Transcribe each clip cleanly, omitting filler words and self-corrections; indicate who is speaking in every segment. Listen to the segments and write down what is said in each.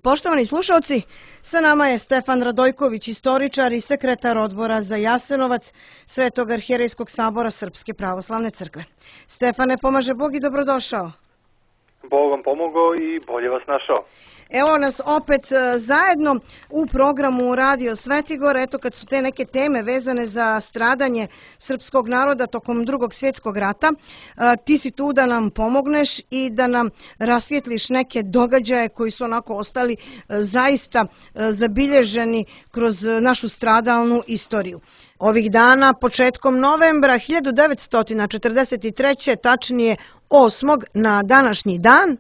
Speaker 1: Poštovani slušalci, sa nama je Stefan Radojković, istoričar i sekretar odbora za Jasenovac Svetog arhijerejskog sabora Srpske pravoslavne crkve. Stefane, pomaže Bog i dobrodošao.
Speaker 2: Bog vam pomogao i bolje vas našao.
Speaker 1: Evo nas opet zajedno u programu Radio Svetigor. Eto, kad su te neke teme vezane za stradanje srpskog naroda tokom Drugog svjetskog rata, ti si tu da nam pomogneš i da nam rasvijetliš neke događaje koji su onako ostali zaista zabilježeni kroz našu stradalnu istoriju. Ovih dana, početkom novembra 1943. tačnije 8. na današnji dan,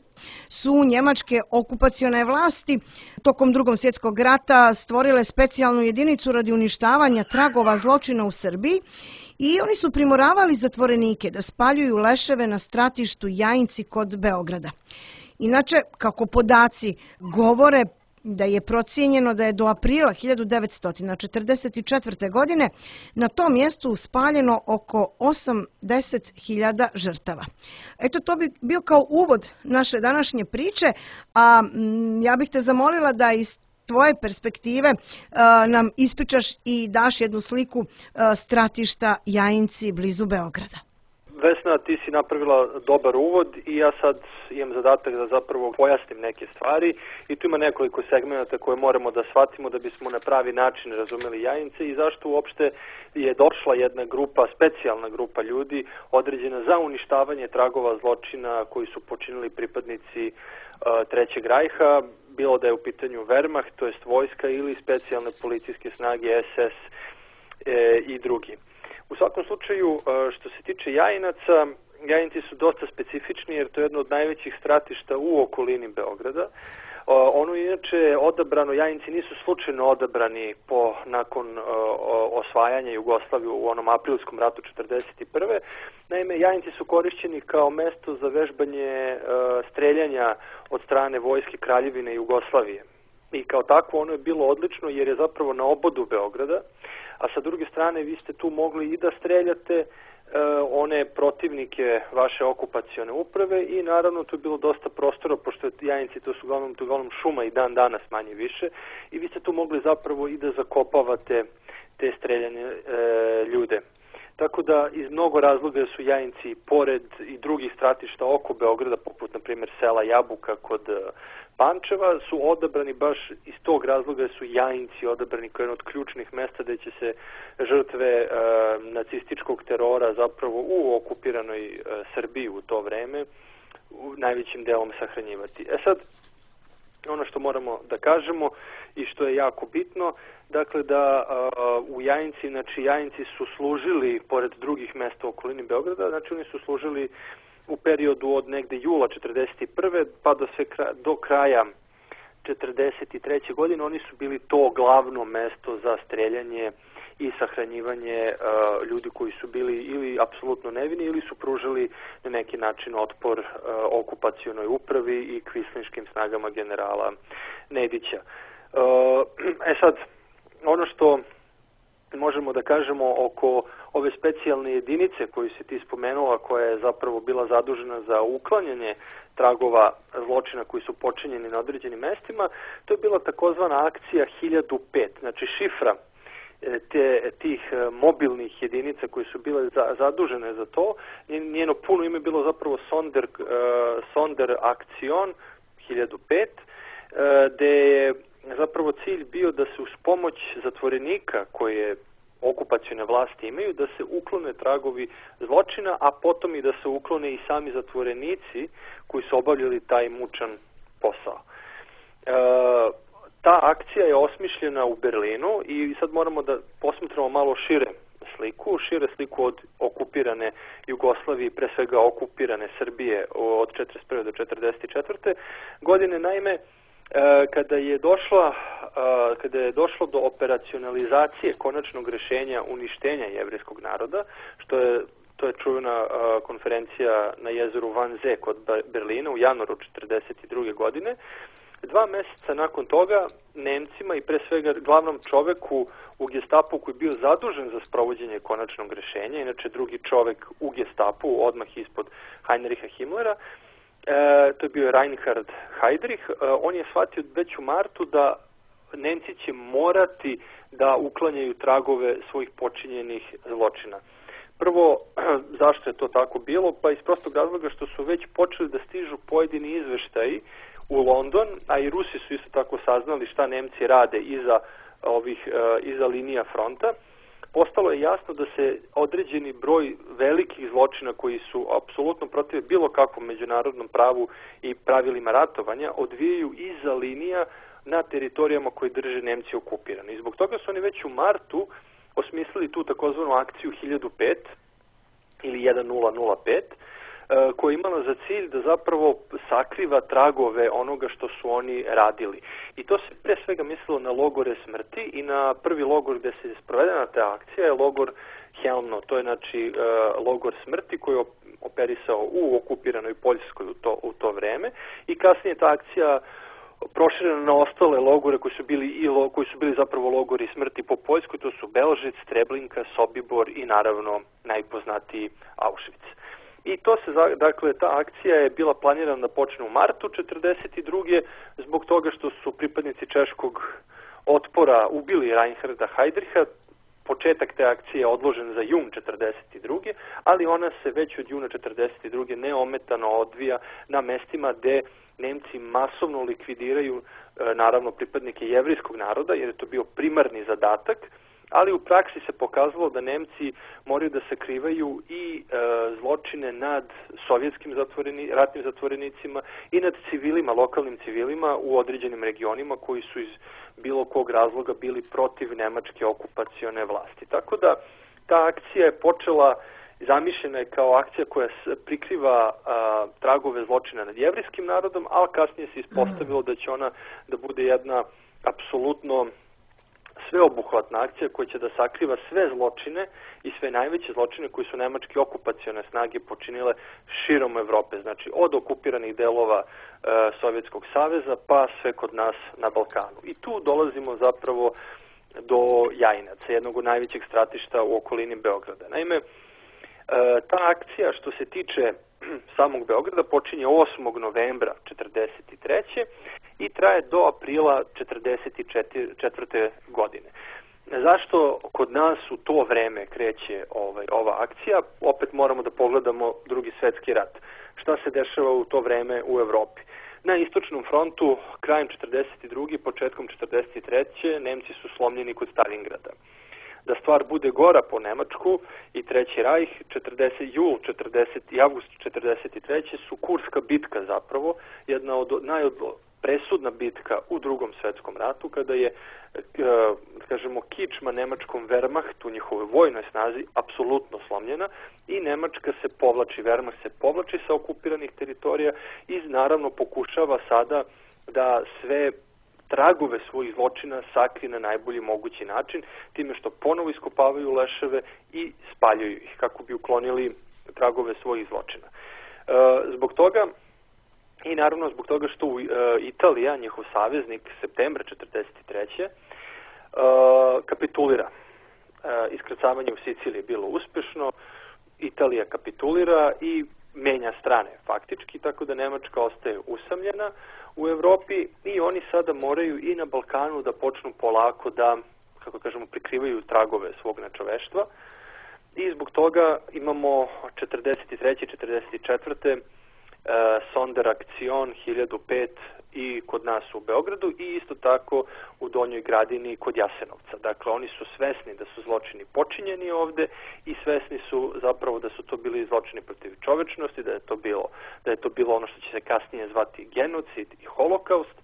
Speaker 1: su njemačke okupacione vlasti tokom Drugog svjetskog rata stvorile specijalnu jedinicu radi uništavanja tragova zločina u Srbiji i oni su primoravali zatvorenike da spaljuju leševe na stratištu Jajinci kod Beograda. Inače, kako podaci govore, da je procijenjeno da je do aprila 1944. godine na tom mjestu spaljeno oko 80.000 žrtava. Eto, to bi bio kao uvod naše današnje priče, a ja bih te zamolila da iz tvoje perspektive nam ispričaš i daš jednu sliku stratišta Jajinci blizu Beograda.
Speaker 2: Vesna, ti si napravila dobar uvod i ja sad imam zadatak da zapravo pojasnim neke stvari i tu ima nekoliko segmenata koje moramo da shvatimo da bismo na pravi način razumeli Jajince i zašto uopšte je došla jedna grupa, specijalna grupa ljudi određena za uništavanje tragova zločina koji su počinili pripadnici Trećeg rajha, bilo da je u pitanju Wehrmacht, to jest vojska ili specijalne policijske snage SS i drugi. U svakom slučaju, što se tiče Jajinaca, Jajinci su dosta specifični jer to je jedno od najvećih stratišta u okolini Beograda. Ono inače odabrano, Jajinci nisu slučajno odabrani nakon osvajanja Jugoslavije u onom aprilskom ratu 1941. Naime, Jajinci su korišćeni kao mesto za vežbanje streljanja od strane vojske Kraljevine Jugoslavije. I kao takvo ono je bilo odlično jer je zapravo na obodu Beograda, a sa druge strane vi ste tu mogli i da streljate one protivnike vaše okupacione uprave i naravno tu je bilo dosta prostora, pošto Jajinci to su uglavnom šuma i dan danas manje više i vi ste tu mogli zapravo i da zakopavate te streljane ljude. Tako da iz mnogo razloga su Jajinci pored i drugih stratišta oko Beograda, poput na primjer sela Jabuka kod Pančeva, su odabrani baš iz tog razloga su Jajinci odabrani kao jedno od ključnih mesta gde će se žrtve nacističkog terora zapravo u okupiranoj Srbiji u to vreme najvećim delom sahranjivati. Sad, ono što moramo da kažemo i što je jako bitno, dakle da u Jajinci, znači Jajinci su služili, pored drugih mesta u okolini Beograda, znači oni su služili u periodu od negde jula 1941. pa do kraja 1943. godine, oni su bili to glavno mesto za streljanje i sahranjivanje ljudi koji su bili ili apsolutno nevini ili su pružali na neki način otpor okupacionoj upravi i kvislinškim snagama generala Nedića. Sad, ono što možemo da kažemo oko ove specijalne jedinice koju si ti spomenula, koja je zapravo bila zadužena za uklanjanje tragova zločina koji su počinjeni na određenim mestima, to je bila takozvana akcija 1005, znači šifra tih mobilnih jedinica koje su bile zadužene za to. Njeno puno ime je bilo zapravo Sonderaktion 1005, gde je zapravo cilj bio da se uz pomoć zatvorenika koje okupacione vlasti imaju, da se uklone tragovi zločina, a potom i da se uklone i sami zatvorenici koji su obavljali taj mučan posao. Ta akcija je osmišljena u Berlinu i sad moramo da posmatramo malo šire sliku od okupirane Jugoslavije, pre svega okupirane Srbije od 1941. do 1944. godine. Naime, kada je došlo do operacionalizacije konačnog rešenja uništenja jevrejskog naroda, to je čuvena konferencija na jezeru Wannsee kod Berlina u januaru 1942. godine, 2 meseca nakon toga Nemcima i pre svega glavnom čoveku u Gestapu koji je bio zadužen za sprovođenje konačnog rešenja, inače drugi čovek u Gestapu, odmah ispod Heinricha Himmlera, To je bio Reinhard Heydrich. On je shvatio već u martu da Nemci će morati da uklanjaju tragove svojih počinjenih zločina. Prvo, zašto je to tako bilo? Pa iz prostog razloga što su već počeli da stižu pojedini izveštaji u London, a i Rusi su isto tako saznali šta Nemci rade iza linija fronta. Postalo je jasno da se određeni broj velikih zločina koji su apsolutno protiv bilo kakvom međunarodnom pravu i pravilima ratovanja odvijaju iza linija na teritorijama koje drže Nemci okupirani. I zbog toga su oni već u martu osmislili tu takozvanu akciju 1005 ili 1005, koja je imala za cilj da zapravo sakriva tragove onoga što su oni radili. I to se pre svega mislilo na logore smrti i na prvi logor gde se sprovedena ta akcija je logor Helmno. To je znači logor smrti koji je operisao u okupiranoj Poljskoj u to vreme i kasnije ta akcija proširena na ostale logore koji su bili zapravo logori smrti po Poljskoj, to su Belžic, Treblinka, Sobibor i naravno najpoznatiji Auschwitz. I dakle, ta akcija je bila planirana da počne u martu 1942. zbog toga što su pripadnici češkog otpora ubili Reinharda Heydricha. Početak te akcije je odložen za jun 1942. ali ona se već od juna 1942. neometano odvija na mestima gde Nemci masovno likvidiraju naravno pripadnike jevrijskog naroda, jer je to bio primarni zadatak, ali u praksi se pokazalo da Nemci moraju da sakrivaju i zločine nad sovjetskim ratnim zatvorenicima i nad civilima, lokalnim civilima u određenim regionima koji su iz bilo kog razloga bili protiv nemačke okupacione vlasti. Tako da ta akcija je počela, zamišljena je kao akcija koja prikriva tragove zločina nad jevrijskim narodom, ali kasnije se ispostavilo da će ona da bude jedna apsolutno sveobuhvatna akcija koja će da sakriva sve zločine i sve najveće zločine koji su nemačke okupacione snage počinile širom Evrope, znači od okupiranih delova Sovjetskog saveza pa sve kod nas na Balkanu. I tu dolazimo zapravo do Jajinaca, jednog od najvećeg stratišta u okolini Beograda. Naime, ta akcija što se tiče samog Beograda počinje 8. novembra 1943. i traje do aprila 1944. godine. Zašto kod nas u to vreme kreće ova akcija? Opet moramo da pogledamo Drugi svetski rat. Šta se dešava u to vreme u Evropi? Na istočnom frontu, krajem 1942. početkom 1943. Nemci su slomljeni kod Stalingrada. Da stvar bude gora po Nemačku i Treći rajh, jul 40 i avgust 1943. su Kurska bitka zapravo, jedna od presudna bitka u Drugom svetskom ratu, kada je, kažemo, kičma nemačkom Wehrmachtu, njihovoj vojnoj snazi, apsolutno slomljena i Nemačka se povlači, Wehrmacht se povlači sa okupiranih teritorija i naravno pokušava sada da sve tragove svojih zločina sakri na najbolji mogući način, time što ponovo iskopavaju leševe i spaljuju ih kako bi uklonili tragove svojih zločina. Zbog toga i naravno zbog toga što Italija, njihov saveznik, septembra 1943. Kapitulira. Iskrcavanje u Siciliji je bilo uspešno, Italija kapitulira i menja strane faktički, tako da Nemačka ostaje usamljena u Evropi i oni sada moraju i na Balkanu da počnu polako da, kako kažemo, prikrivaju tragove svog nečoveštva i zbog toga imamo 43. 44. Sonderakcion 1005 i kod nas u Beogradu i isto tako u Donjoj Gradini kod Jasenovca. Dakle, oni su svesni da su zločini počinjeni ovde i svesni su zapravo da su to bili zločini protiv čovečnosti, da je to bilo ono što će se kasnije zvati genocid i holokaust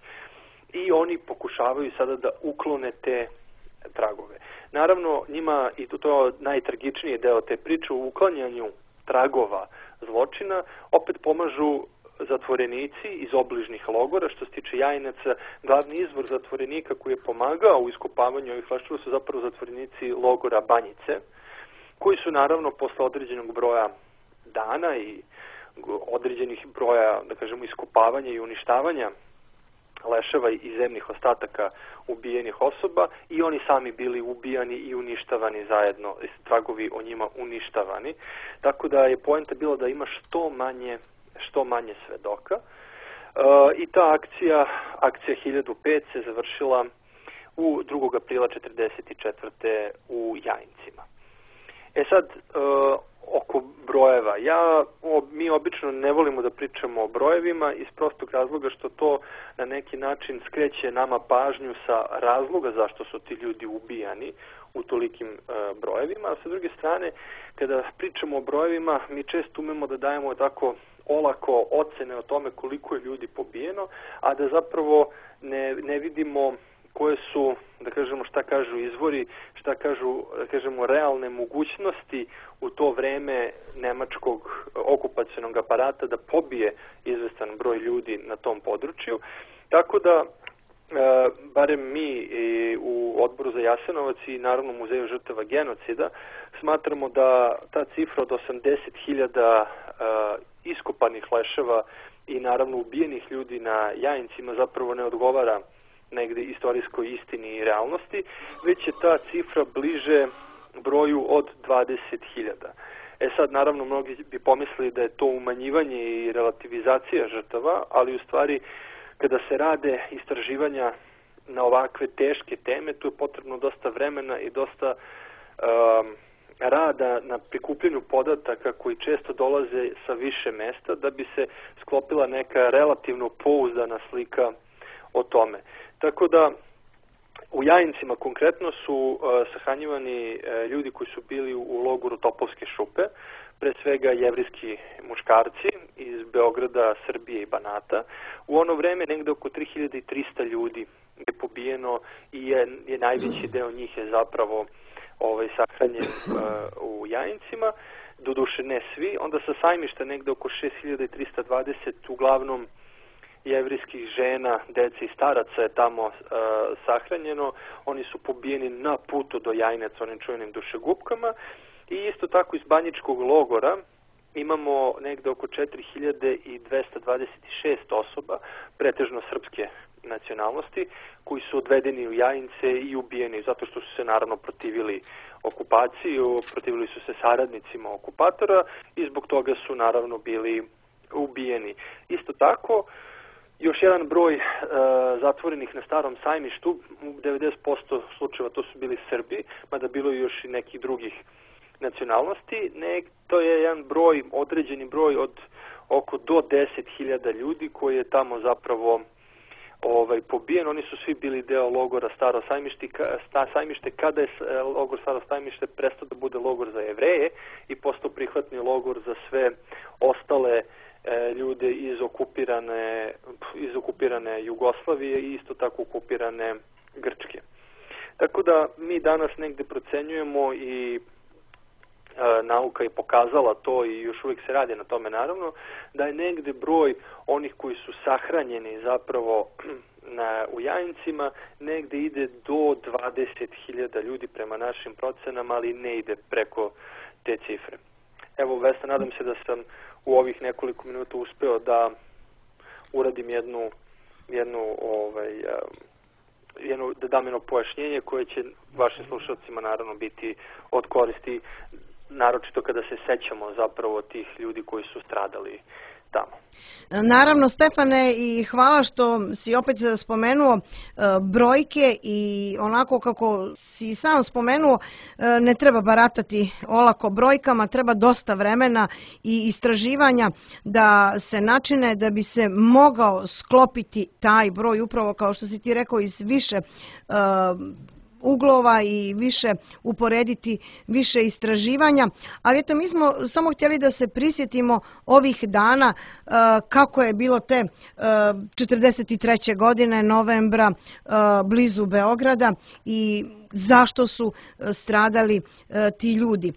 Speaker 2: i oni pokušavaju sada da uklone te tragove. Naravno, njima, i to je najtragičniji deo te priče, u uklanjanju tragova zločina opet pomažu zatvorenici iz obližnih logora. Što se tiče Jajinaca, glavni izvor zatvorenika koji je pomagao u iskopavanju ovih leševa su zapravo zatvorenici logora Banjice, koji su naravno posle određenog broja dana i određenih broja, da kažemo, iskopavanja i uništavanja leševa i zemnih ostataka ubijenih osoba i oni sami bili ubijani i uništavani zajedno, tragovi o njima uništavani. Tako da je poenta bila da ima što manje što manje svedoka. I ta akcija 1005 se završila u 2. aprila 1944. u Jajincima. Sad, oko brojeva. Mi obično ne volimo da pričamo o brojevima iz prostog razloga što to na neki način skreće nama pažnju sa razloga zašto su ti ljudi ubijani u tolikim brojevima. A sa druge strane, kada pričamo o brojevima, mi često umemo da dajemo tako olako ocene o tome koliko je ljudi pobijeno, a da zapravo ne vidimo koje su, da kažemo, šta kažu izvori, šta kažu, da kažemo, realne mogućnosti u to vreme nemačkog okupacionog aparata da pobije izvestan broj ljudi na tom području. Tako da, barem mi u Odboru za Jasenovac i naravno Muzeju žrtava genocida smatramo da ta cifra od 80.000 iskopanih leševa i naravno ubijenih ljudi na Jajincima zapravo ne odgovara negde istorijskoj istini i realnosti, već je ta cifra bliže broju od 20.000. Sad, naravno, mnogi bi pomislili da je to umanjivanje i relativizacija žrtava, ali u stvari, kada se rade istraživanja na ovakve teške teme, tu je potrebno dosta vremena i dosta rada na prikupljenju podataka koji često dolaze sa više mesta da bi se sklopila neka relativno pouzdana slika o tome. Tako da u Jajincima konkretno su sahranjivani ljudi koji su bili u logoru Topolske šupe, pre svega jevrijski muškarci iz Beograda, Srbije i Banata. U ono vreme negde oko 3300 ljudi je pobijeno i je najveći deo njih je zapravo sahranjen u Jajincima, doduše ne svi. Onda sa Sajmišta negde oko 6320 uglavnom jevrijskih žena, dece i staraca je tamo sahranjeno. Oni su pobijeni na putu do Jajinaca onim čuvenim dušegupkama. I isto tako iz Banjičkog logora imamo negde oko 4226 osoba, pretežno srpske nacionalnosti, koji su odvedeni u Jajince i ubijeni zato što su se naravno protivili okupaciji, protivili su se saradnicima okupatora i zbog toga su naravno bili ubijeni. Isto tako, još jedan broj zatvorenih na Starom Sajmištu, u 90% slučajeva to su bili Srbi, mada bilo je još i nekih drugih nacionalnosti. To je jedan broj, određeni broj od oko do 10.000 ljudi koji je tamo zapravo pobijen. Oni su svi bili deo logora Staro Sajmište kada je logor Staro Sajmište prestao da bude logor za Jevreje i postao prihvatni logor za sve ostale ljude iz okupirane Jugoslavije i isto tako okupirane Grčke. Tako da mi danas negde procenjujemo i nauka je pokazala to i još uvijek se radi na tome naravno, da je negde broj onih koji su sahranjeni zapravo u Jajincima negde ide do 20.000 ljudi prema našim procenama, ali ne ide preko te cifre. Evo, Vesna, nadam se da sam u ovih nekoliko minuta uspeo da uradim da dam jedno pojašnjenje koje će vašim slušalcima naravno biti od koristi, naročito kada se sećamo zapravo tih ljudi koji su stradali tamo.
Speaker 1: Naravno, Stefane, i hvala što si opet spomenuo brojke i onako kako si sam spomenuo, ne treba baratati olako brojkama, treba dosta vremena i istraživanja da se načine da bi se mogao sklopiti taj broj, upravo kao što si ti rekao, iz više uglova i više uporediti više istraživanja, ali eto mi smo samo htjeli da se prisjetimo ovih dana kako je bilo te 43. godine novembra blizu Beograda i zašto su stradali ti ljudi.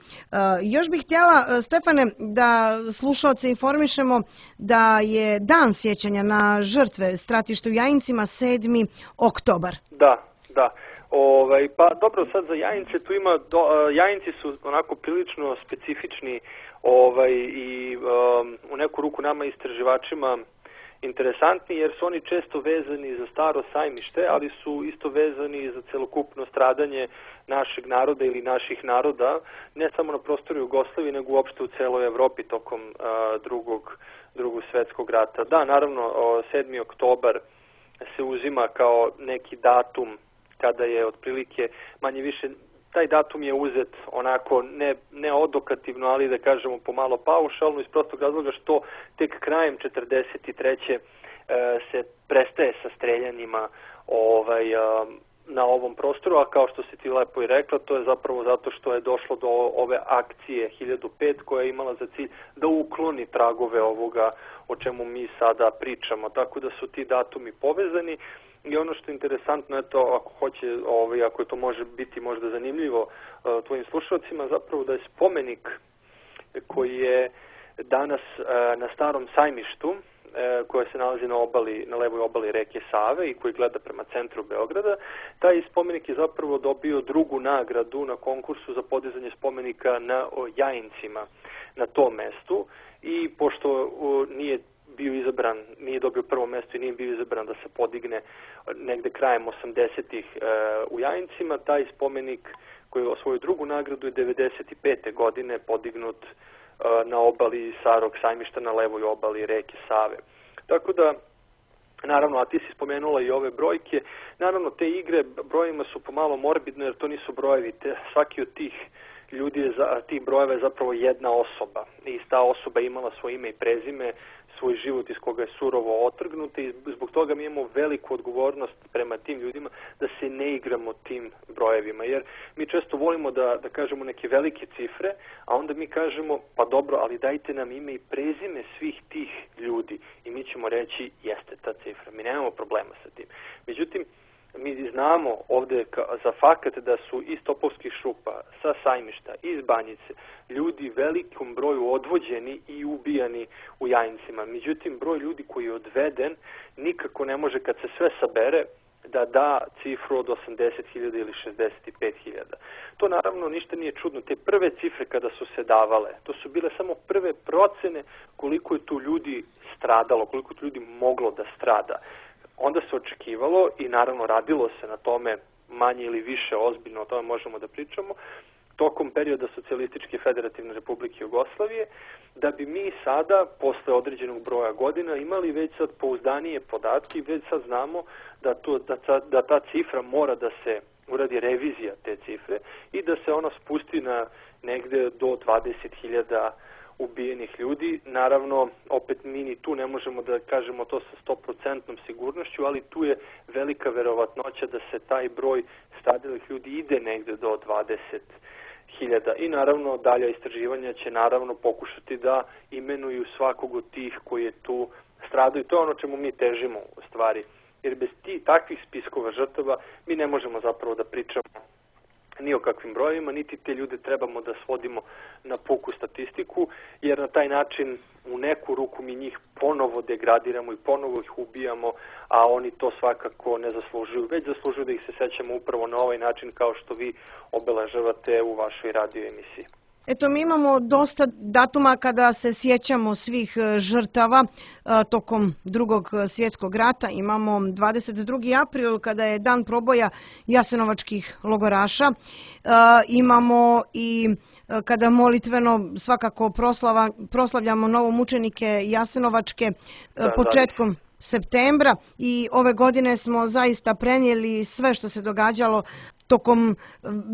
Speaker 1: Još bih htjela, Stefane, da slušaoce informišemo da je dan sjećanja na žrtve stratišta u Jajincima 7. oktobar.
Speaker 2: Da. Pa dobro, sad za Jajince tu ima, Jajinci su onako prilično specifični i u neku ruku nama istraživačima interesantni jer su oni često vezani za Staro sajmište, ali su isto vezani i za celokupno stradanje našeg naroda ili naših naroda, ne samo na prostoru Jugoslavije, nego uopšte u celoj Evropi tokom drugog svetskog rata. Da, naravno, 7. oktobar se uzima kao neki datum kada je otprilike manje više, taj datum je uzet onako ne odokativno, ali da kažemo pomalo paušalno, iz prostog razloga što tek krajem 43. se prestaje sa streljanjima na ovom prostoru, a kao što si ti lepo i rekla, to je zapravo zato što je došlo do ove akcije 1005 koja je imala za cilj da ukloni tragove ovoga o čemu mi sada pričamo, tako da su ti datumi povezani. I ono što je interesantno, eto, ako to može biti možda zanimljivo tvojim slušalcima, zapravo da je spomenik koji je danas na Starom sajmištu, koja se nalazi na levoj obali reke Save i koji gleda prema centru Beograda, taj spomenik je zapravo dobio drugu nagradu na konkursu za podizanje spomenika na Jajincima na tom mestu i pošto nije dobio prvo mesto i nije bio izabran da se podigne negde krajem 80-ih u Jajincima, taj spomenik koji je osvojio drugu nagradu je 95. godine podignut na obali Starog sajmišta na levoj obali reke Save. Tako da, naravno, a ti si spomenula i ove brojke, naravno te igre brojima su pomalo morbidne jer to nisu brojevi, svaki od tih ljudi, tih brojeva je zapravo jedna osoba i ta osoba je imala svoje ime i prezime, svoj život iz koga je surovo otrgnuta i zbog toga mi imamo veliku odgovornost prema tim ljudima da se ne igramo tim brojevima, jer mi često volimo da kažemo neke velike cifre, a onda mi kažemo pa dobro, ali dajte nam ime i prezime svih tih ljudi i mi ćemo reći jeste ta cifra, mi nemamo problema sa tim. Međutim, mi znamo ovde za fakat da su iz Topovskih šupa, sa sajmišta, iz Banjice, ljudi velikom broju odvođeni i ubijani u Jajincima. Međutim, broj ljudi koji je odveden nikako ne može kad se sve sabere da cifru od 80.000 ili 65.000. To naravno ništa nije čudno. Te prve cifre kada su se davale, to su bile samo prve procene koliko je tu ljudi stradalo, koliko je tu ljudi moglo da strada. Onda se očekivalo i naravno radilo se na tome manje ili više ozbiljno, o tome možemo da pričamo, tokom perioda Socijalističke federativne republike Jugoslavije, da bi mi sada, posle određenog broja godina, imali već sad pouzdanije podatke i već sad znamo da ta cifra mora da se uradi revizija te cifre i da se ona spusti na negde do 20.000 ubijenih ljudi. Naravno, opet mi ni tu ne možemo da kažemo to sa 100% sigurnošću, ali tu je velika verovatnoća da se taj broj stradalih ljudi ide negde do 20.000. I naravno, dalja istraživanja će naravno pokušati da imenuju svakog od tih koji je tu stradao i to je ono čemu mi težimo u stvari. Jer bez takvih spiskova žrtava mi ne možemo zapravo da pričamo ni o kakvim brojevima, niti te ljude trebamo da svodimo na puku statistiku, jer na taj način u neku ruku mi njih ponovo degradiramo i ponovo ih ubijamo, a oni to svakako ne zaslužuju, već zaslužuju da ih se sećamo upravo na ovaj način kao što vi obeležavate u vašoj radio emisiji.
Speaker 1: Eto, mi imamo dosta datuma kada se sjećamo svih žrtava tokom Drugog svjetskog rata. Imamo 22. april kada je dan proboja jasenovačkih logoraša. Imamo i kada molitveno svakako proslavljamo novomučenike jasenovačke početkom septembra i ove godine smo zaista prenijeli sve što se događalo tokom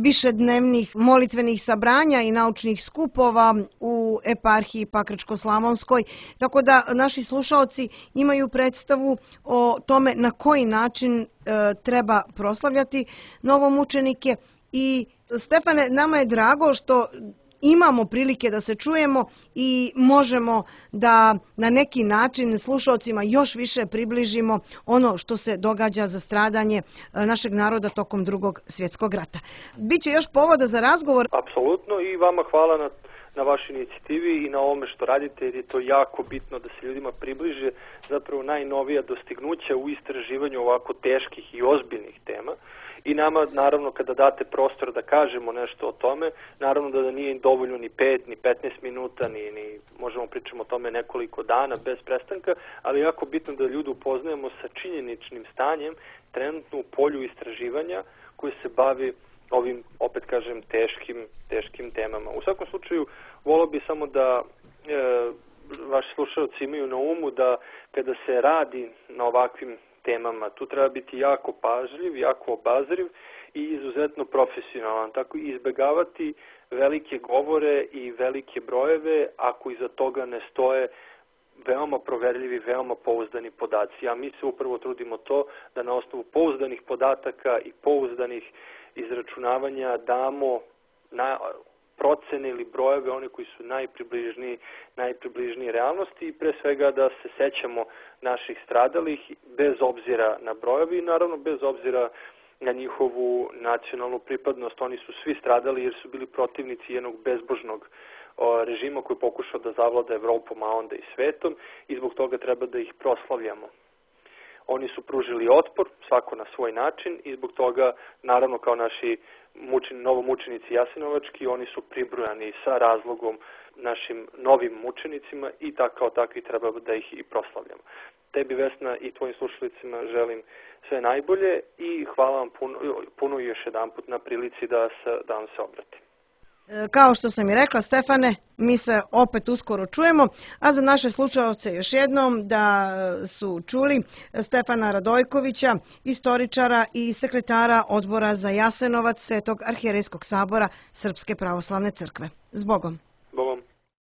Speaker 1: višednevnih molitvenih sabranja i naučnih skupova u eparhiji Pakračko-Slavonskoj, tako da naši slušaoci imaju predstavu o tome na koji način treba proslavljati novomučenike. I Stefane, nama je drago što imamo prilike da se čujemo i možemo da na neki način slušaocima još više približimo ono što se događa za stradanje našeg naroda tokom Drugog svjetskog rata. Biće još povoda za razgovor.
Speaker 2: Apsolutno i vama hvala na vašoj inicijativi i na ovome što radite, jer je to jako bitno da se ljudima približe zapravo najnovija dostignuća u istraživanju ovako teških i ozbiljnih tema. I nama, naravno, kada date prostor da kažemo nešto o tome, naravno da nije dovoljno ni 5, ni 15 minuta, ni možemo pričamo o tome nekoliko dana bez prestanka, ali je jako bitno da ljude upoznajemo sa činjeničnim stanjem trenutno u polju istraživanja koje se bavi ovim, opet kažem, teškim temama. U svakom slučaju, volio bi samo da vaši slušalci imaju na umu da kada se radi na ovakvim temama, tu treba biti jako pažljiv, jako obazriv i izuzetno profesionalan. Tako izbegavati velike govore i velike brojeve ako iza toga ne stoje veoma proverljivi, veoma pouzdani podaci. A mi se upravo trudimo to da na osnovu pouzdanih podataka i pouzdanih izračunavanja damo na procene ili brojeve, one koji su najpribližniji realnosti i pre svega da se sećamo naših stradalih bez obzira na brojevi i naravno bez obzira na njihovu nacionalnu pripadnost. Oni su svi stradali jer su bili protivnici jednog bezbožnog režima koji je pokušao da zavlada Evropom, a onda i svetom i zbog toga treba da ih proslavljamo. Oni su pružili otpor, svako na svoj način i zbog toga, naravno kao naši novomučenici jasenovački, oni su pribrojani sa razlogom našim novim mučenicima i kao takvi treba da ih i proslavljamo. Tebi, Vesna, i tvojim slušalicima želim sve najbolje i hvala vam puno još jedanput na prilici da vam se obratim.
Speaker 1: Kao što sam i rekla, Stefane, mi se opet uskoro čujemo, a za naše slušaoce još jednom da su čuli Stefana Radojkovića, istoričara i sekretara Odbora za Jasenovac Svetog arhijerejskog sabora Srpske pravoslavne crkve. Zbogom!